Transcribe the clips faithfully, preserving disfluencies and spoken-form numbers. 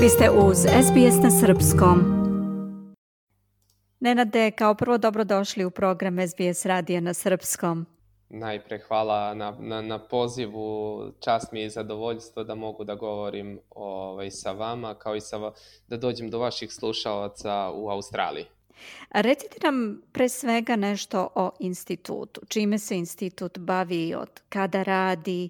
Vi ste uz S B S na srpskom. Nenade, kao prvo dobrodošli u program S B S radija na srpskom. Najpre hvala na, na, na pozivu, čast mi je i zadovoljstvo da mogu da govorim ovaj, sa vama, kao i sa, da dođem do vaših slušalaca u Australiji. A recite nam pre svega nešto o institutu. Čime se institut bavi, od kada radi?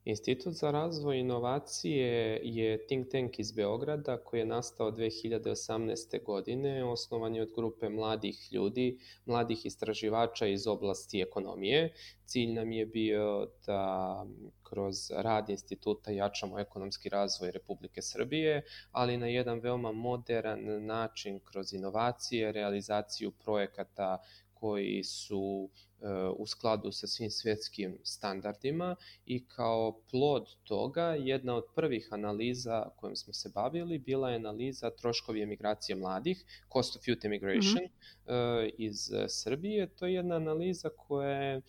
Institut za razvoj inovacije je think tank iz Beograda koji je nastao dve hiljade osamnaeste. godine. Osnovan je od grupe mladih ljudi, mladih istraživača iz oblasti ekonomije. Cilj nam je bio da kroz rad instituta jačamo ekonomski razvoj Republike Srbije, ali na jedan veoma modern način kroz inovacije, realizaciju projekata koji su u skladu sa svim svjetskim standardima i kao plod toga jedna od prvih analiza kojom smo se bavili bila je analiza troškovi emigracije mladih, Cost of Youth Emigration mm-hmm. iz Srbije. To je jedna analiza koja je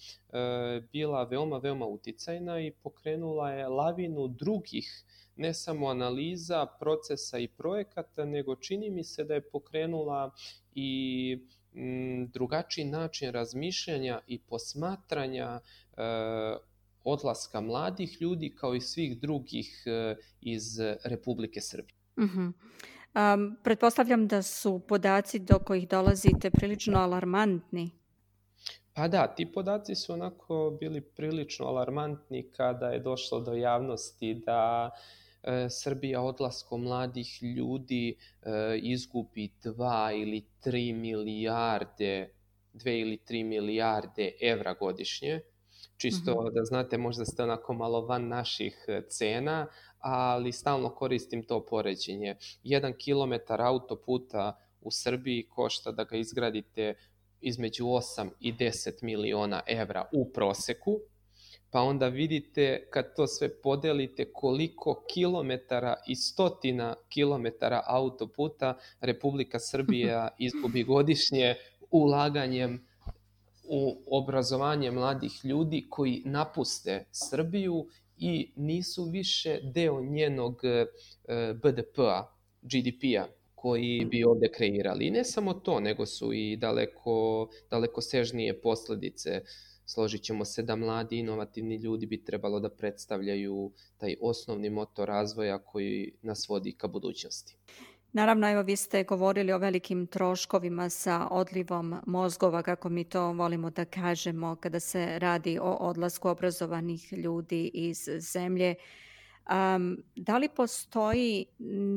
bila veoma, veoma uticajna i pokrenula je lavinu drugih ne samo analiza, procesa i projekata, nego čini mi se da je pokrenula i drugačiji način razmišljanja i posmatranja e, odlaska mladih ljudi kao i svih drugih e, iz Republike Srbije. Uh-huh. Um, pretpostavljam da su podaci do kojih dolazite prilično alarmantni. Pa da, ti podaci su onako bili prilično alarmantni kada je došlo do javnosti da Srbija odlaskom mladih ljudi e, izgubi dva ili tri milijarde, dve ili tri milijarde evra godišnje. Čisto mm-hmm. da znate, možda ste onako malo van naših cena, ali stalno koristim to poređenje. Jedan kilometar autoputa u Srbiji košta da ga izgradite između osam i deset miliona evra u proseku. Pa onda vidite kad to sve podelite koliko kilometara i stotina kilometara autoputa Republika Srbija izgubi godišnje ulaganjem u obrazovanje mladih ljudi koji napuste Srbiju i nisu više deo njenog B D P-a, G D P-a koji bi ovde kreirali. I ne samo to, nego su i daleko, daleko sežnije posledice. Složit ćemo se da mladi inovativni ljudi bi trebalo da predstavljaju taj osnovni motor razvoja koji nas vodi ka budućnosti. Naravno, evo vi ste govorili o velikim troškovima sa odlivom mozgova, kako mi to volimo da kažemo, kada se radi o odlasku obrazovanih ljudi iz zemlje. Um, da li postoji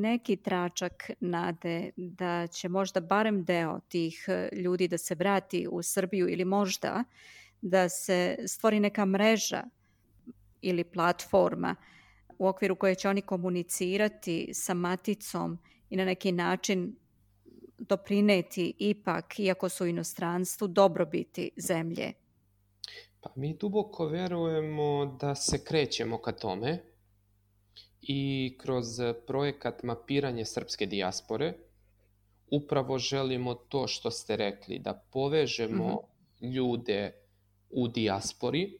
neki tračak nade da će možda barem deo tih ljudi da se vrati u Srbiju ili možda da se stvori neka mreža ili platforma u okviru koje će oni komunicirati sa maticom i na neki način doprineti ipak, iako su u inostranstvu, dobrobiti zemlje? Pa mi duboko verujemo da se krećemo ka tome i kroz projekat mapiranje srpske dijaspore upravo želimo to što ste rekli, da povežemo mm-hmm. ljude u dijaspori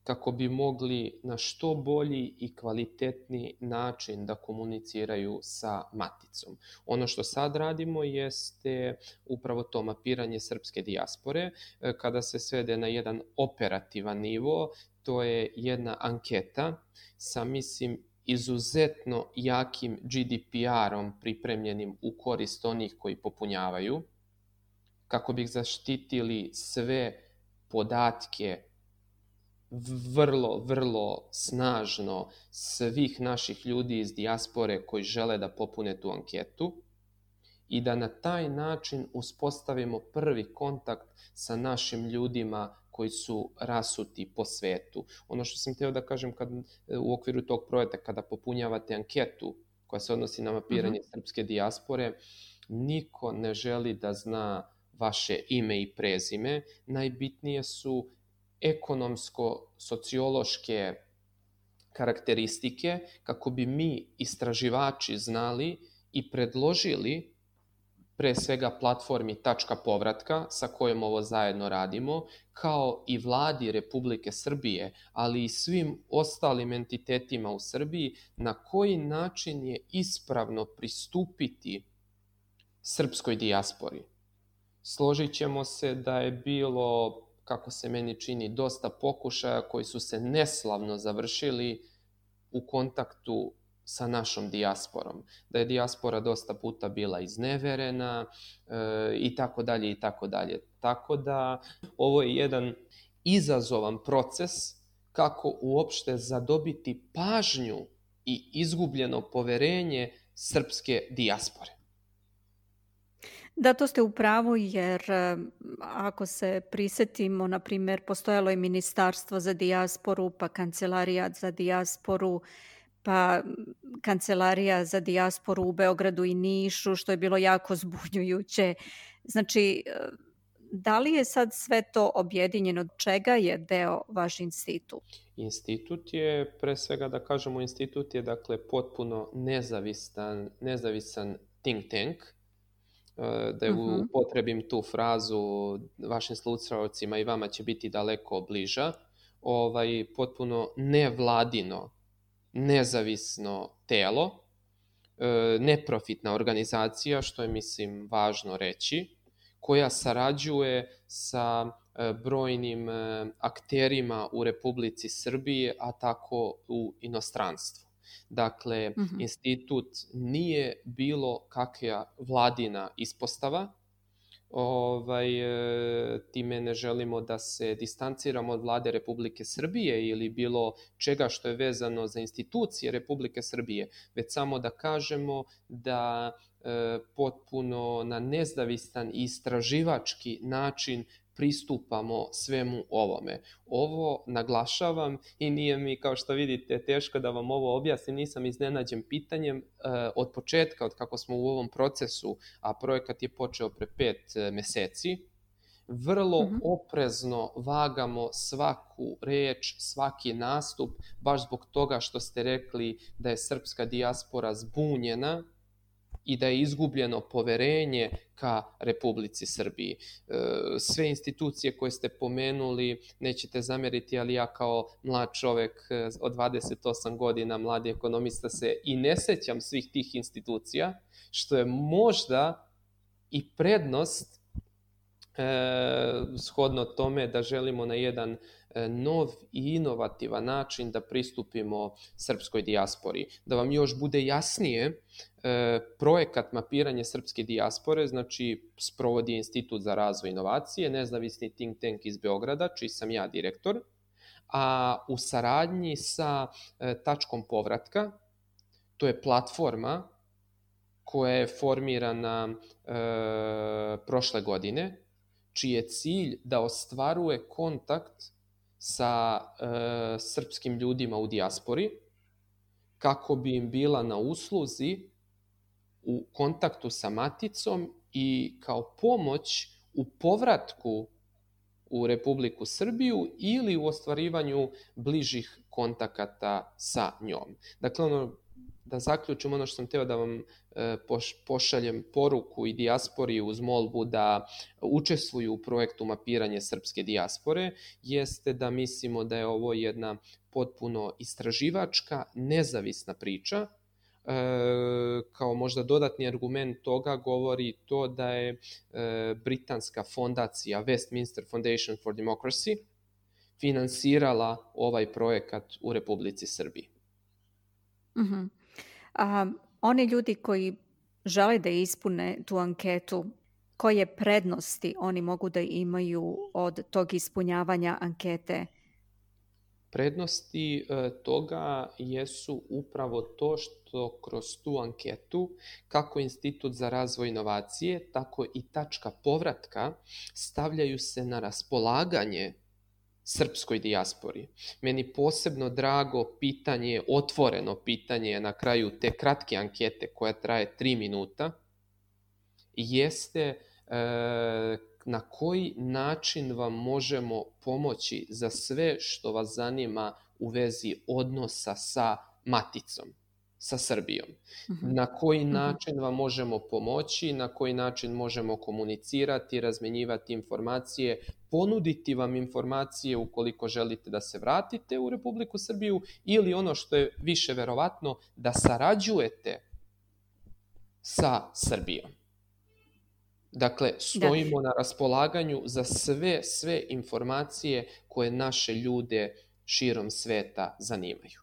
kako bi mogli na što bolji i kvalitetniji način da komuniciraju sa maticom. Ono što sad radimo jeste upravo to mapiranje srpske dijaspore. Kada se svede na jedan operativan nivo, to je jedna anketa sa, mislim, izuzetno jakim G D P R-om pripremljenim u korist onih koji popunjavaju, kako bi zaštitili sve podatke vrlo, vrlo snažno svih naših ljudi iz dijaspore koji žele da popune tu anketu i da na taj način uspostavimo prvi kontakt sa našim ljudima koji su rasuti po svetu. Ono što sam htio da kažem kad, u okviru tog projekta, kada popunjavate anketu koja se odnosi na mapiranje uh-huh. srpske dijaspore, niko ne želi da zna vaše ime i prezime. Najbitnije su ekonomsko-sociološke karakteristike kako bi mi, istraživači, znali i predložili pre svega platformi Tačka povratka sa kojom ovo zajedno radimo, kao i vladi Republike Srbije, ali i svim ostalim entitetima u Srbiji, na koji način je ispravno pristupiti srpskoj dijaspori. Složit ćemo se da je bilo, kako se meni čini, dosta pokušaja koji su se neslavno završili u kontaktu sa našom dijasporom. Da je dijaspora dosta puta bila izneverena e, i tako dalje i tako dalje. Tako da ovo je jedan izazovan proces kako uopšte zadobiti pažnju i izgubljeno poverenje srpske dijaspore. Da, to ste u pravu, jer ako se prisetimo, na primjer, postojalo je Ministarstvo za dijasporu, pa Kancelarijat za dijasporu, pa Kancelarija za dijasporu u Beogradu i Nišu, što je bilo jako zbunjujuće. Znači, da li je sad sve to objedinjeno? Od čega je deo vaš institut? Institut je, pre svega da kažemo, institut je dakle potpuno nezavisan, nezavisan think tank. Da je uh-huh. upotrebim tu frazu, vašim slušaocima i vama će biti daleko bliža, ovaj, potpuno nevladino, nezavisno telo, neprofitna organizacija, što je, mislim, važno reći, koja sarađuje sa brojnim akterima u Republici Srbiji, a tako u inostranstvu. Dakle, uh-huh. institut nije bilo kakva vladina ispostava. Ovaj, time ne želimo da se distanciramo od vlade Republike Srbije ili bilo čega što je vezano za institucije Republike Srbije, već samo da kažemo da e, potpuno na nezavistan i istraživački način pristupamo svemu ovome. Ovo naglašavam i nije mi, kao što vidite, teško da vam ovo objasnim, nisam iznenađen pitanjem. E, od početka, od kako smo u ovom procesu, a projekat je počeo pre pet meseci, vrlo uh-huh. oprezno vagamo svaku reč, svaki nastup, baš zbog toga što ste rekli da je srpska dijaspora zbunjena i da je izgubljeno poverenje ka Republici Srbiji. Sve institucije koje ste pomenuli, nećete zameriti, ali ja kao mlad čovek od dvadeset osam godina, mladi ekonomista, se i ne sećam svih tih institucija, što je možda i prednost eh, shodno tome da želimo na jedan nov i inovativan način da pristupimo srpskoj dijaspori. Da vam još bude jasnije, projekat mapiranje srpske dijaspore, znači sprovodi Institut za razvoj inovacije, nezavisni think tank iz Beograda, čiji sam ja direktor, a u saradnji sa Tačkom povratka, to je platforma koja je formirana e, prošle godine, čiji je cilj da ostvaruje kontakt sa e, srpskim ljudima u dijaspori, kako bi im bila na usluzi u kontaktu sa maticom i kao pomoć u povratku u Republiku Srbiju ili u ostvarivanju bližih kontakata sa njom. Dakle, ono, da zaključim, ono što sam teo da vam e, pošaljem poruku i dijaspori uz molbu da učestvuju u projektu mapiranje srpske dijaspore, jeste da mislimo da je ovo jedna potpuno istraživačka, nezavisna priča. E, kao možda dodatni argument toga govori to da je e, britanska fondacija Westminster Foundation for Democracy finansirala ovaj projekat u Republici Srbiji. Mhm. A oni ljudi koji žele da ispune tu anketu, koje prednosti oni mogu da imaju od tog ispunjavanja ankete? Prednosti e, toga jesu upravo to što kroz tu anketu, kako Institut za razvoj inovacije, tako i Tačka povratka stavljaju se na raspolaganje srpskoj dijaspori. Meni posebno drago pitanje, otvoreno pitanje na kraju te kratke ankete koja traje tri minuta, jeste e, na koji način vam možemo pomoći za sve što vas zanima u vezi odnosa sa maticom. sa Srbijom. Mhm. Na koji Mhm. način vam možemo pomoći, na koji način možemo komunicirati, razmenjivati informacije, ponuditi vam informacije ukoliko želite da se vratite u Republiku Srbiju ili ono što je više verovatno, da sarađujete sa Srbijom. Dakle, Da. stojimo na raspolaganju za sve, sve informacije koje naše ljude širom sveta zanimaju.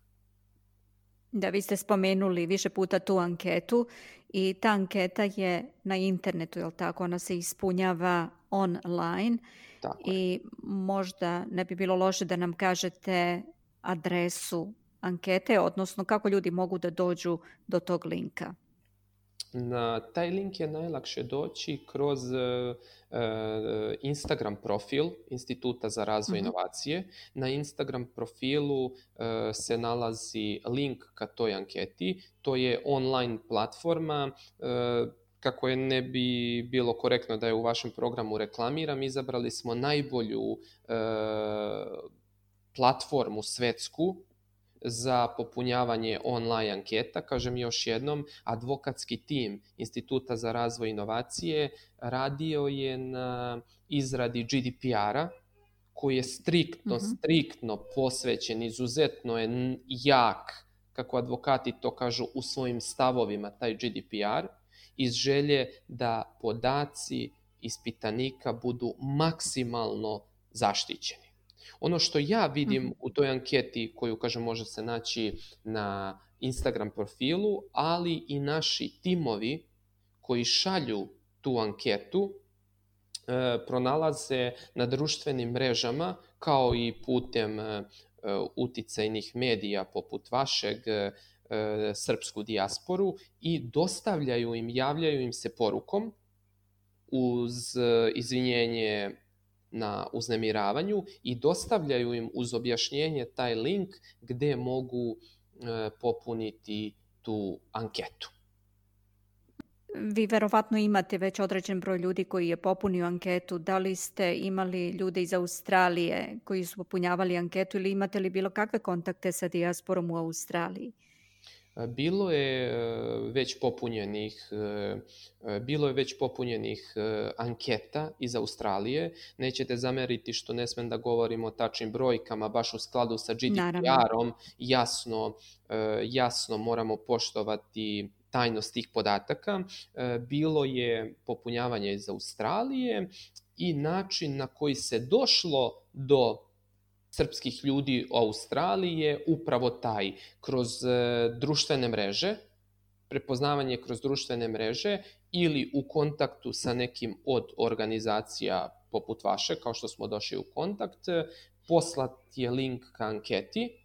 Da, vi ste spomenuli više puta tu anketu i ta anketa je na internetu, jel tako? Ona se ispunjava online Tako je. i možda ne bi bilo loše da nam kažete adresu ankete, odnosno kako ljudi mogu da dođu do tog linka. Na taj link je najlakše doći kroz uh, Instagram profil Instituta za razvoj Mhm. inovacije. Na Instagram profilu uh, se nalazi link ka toj anketi. To je online platforma. Uh, kako je ne bi bilo korektno da je u vašem programu reklamiram, izabrali smo najbolju uh, platformu svetsku za popunjavanje online anketa. Kažem još jednom, advokatski tim Instituta za razvoj inovacije radio je na izradi G D P R-a, koji je striktno, Mhm. striktno posvećen, izuzetno je jak, kako advokati to kažu u svojim stavovima, taj G D P R, iz želje da podaci ispitanika budu maksimalno zaštićeni. Ono što ja vidim Mhm. u toj anketi, koju, kažem, može se naći na Instagram profilu, ali i naši timovi koji šalju tu anketu, e, pronalaze na društvenim mrežama, kao i putem e, uticajnih medija poput vašeg, e, Srpsku dijasporu, i dostavljaju im, javljaju im se porukom uz e, izvinjenje na uznemiravanju i dostavljaju im uz objašnjenje taj link gde mogu e, popuniti tu anketu. Vi verovatno imate već određen broj ljudi koji je popunio anketu. Da li ste imali ljude iz Australije koji su popunjavali anketu ili imate li bilo kakve kontakte sa dijasporom u Australiji? Bilo je već popunjenih, bilo je već popunjenih anketa iz Australije. Nećete zameriti što ne smem da govorim o tačnim brojkama, baš u skladu sa G D P R-om, jasno, jasno moramo poštovati tajnost tih podataka. Bilo je popunjavanje iz Australije i način na koji se došlo do srpskih ljudi u Australiji je upravo taj, kroz e, društvene mreže, prepoznavanje kroz društvene mreže ili u kontaktu sa nekim od organizacija poput vaše, kao što smo došli u kontakt, poslat je link ka anketi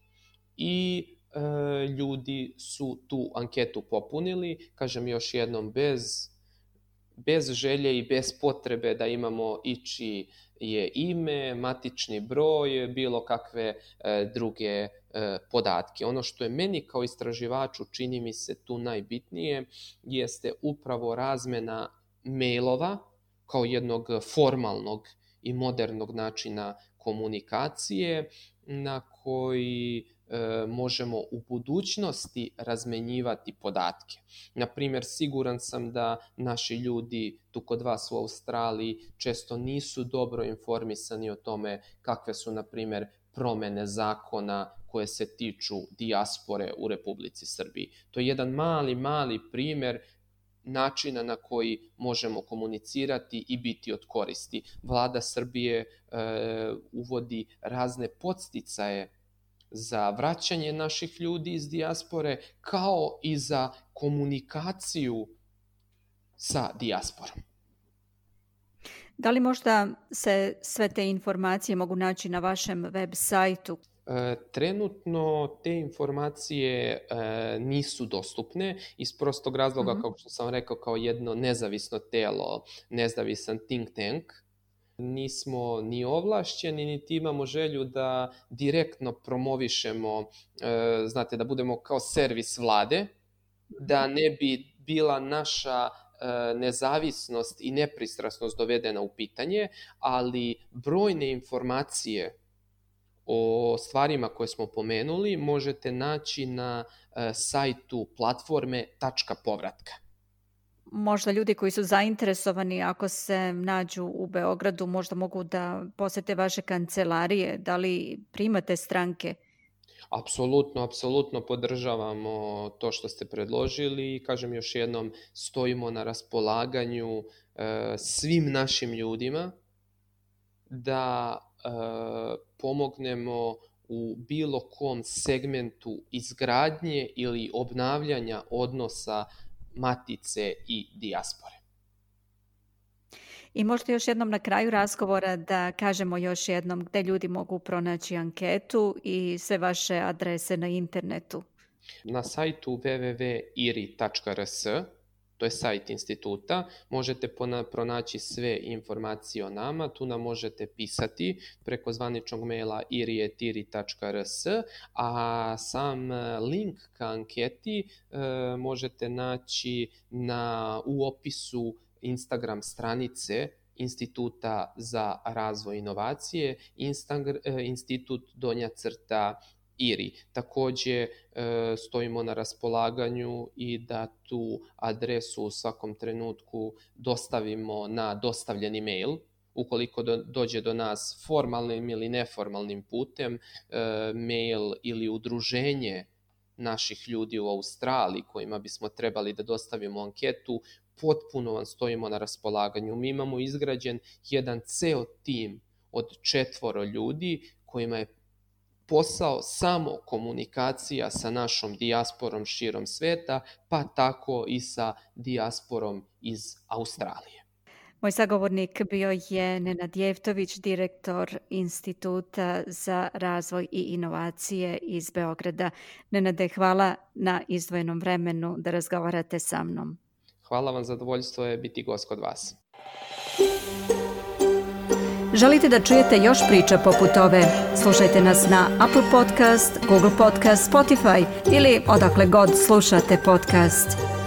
i e, ljudi su tu anketu popunili, kažem još jednom, bez, bez želje i bez potrebe da imamo ići je ime, matični broj, bilo kakve e, druge e, podatke. Ono što je meni kao istraživaču čini mi se tu najbitnije jeste upravo razmena mailova kao jednog formalnog i modernog načina komunikacije na koji e, možemo u budućnosti razmenjivati podatke. Naprimjer, siguran sam da naši ljudi tu kod vas u Australiji često nisu dobro informisani o tome kakve su, na primjer, promene zakona koje se tiču dijaspore u Republici Srbiji. To je jedan mali, mali primjer načina na koji možemo komunicirati i biti od koristi. Vlada Srbije e, uvodi razne podsticaje za vraćanje naših ljudi iz dijaspore, kao i za komunikaciju sa dijasporom. Da li možda se sve te informacije mogu naći na vašem web sajtu? E, trenutno te informacije e, nisu dostupne iz prostog razloga, Mhm. kao što sam rekao, kao jedno nezavisno telo, nezavisan think tank. Nismo ni ovlašćeni, niti imamo želju da direktno promovišemo, e, znate, da budemo kao servis vlade, da ne bi bila naša e, nezavisnost i nepristrasnost dovedena u pitanje, ali brojne informacije o stvarima koje smo pomenuli možete naći na sajtu platforme Tačka povratka. Možda ljudi koji su zainteresovani, ako se nađu u Beogradu, možda mogu da posete vaše kancelarije. Da li primate stranke? Apsolutno, apsolutno podržavamo to što ste predložili i kažem još jednom, stojimo na raspolaganju e, svim našim ljudima da e, pomognemo u bilo kom segmentu izgradnje ili obnavljanja odnosa matice i dijaspore. I možda još jednom na kraju razgovora da kažemo još jednom gde ljudi mogu pronaći anketu i sve vaše adrese na internetu. Na sajtu w w w tačka i r i tačka r s, to je sajt instituta, možete pronaći sve informacije o nama, tu nam možete pisati preko zvaničnog maila i r i et i r i tačka r s, a sam link ka anketi e, možete naći na, u opisu Instagram stranice Instituta za razvoj inovacije, Instagram, institut donja crta I R I. Takođe stojimo na raspolaganju i da tu adresu u svakom trenutku dostavimo na dostavljeni mail. Ukoliko do, dođe do nas formalnim ili neformalnim putem, mail ili udruženje naših ljudi u Australiji kojima bismo trebali da dostavimo anketu, potpuno vam stojimo na raspolaganju. Mi imamo izgrađen jedan ceo tim od četvoro ljudi kojima je posao samo komunikacija sa našom dijasporom širom sveta, pa tako i sa dijasporom iz Australije. Moj sagovornik bio je Nenad Jeftović, direktor Instituta za razvoj i inovacije iz Beograda. Nenade, hvala na izdvojenom vremenu da razgovarate sa mnom. Hvala vam, zadovoljstvo je biti gost kod vas. Želite da čujete još priča poput ove? Slušajte nas na Apple Podcast, Google Podcast, Spotify ili odakle god slušate podcast.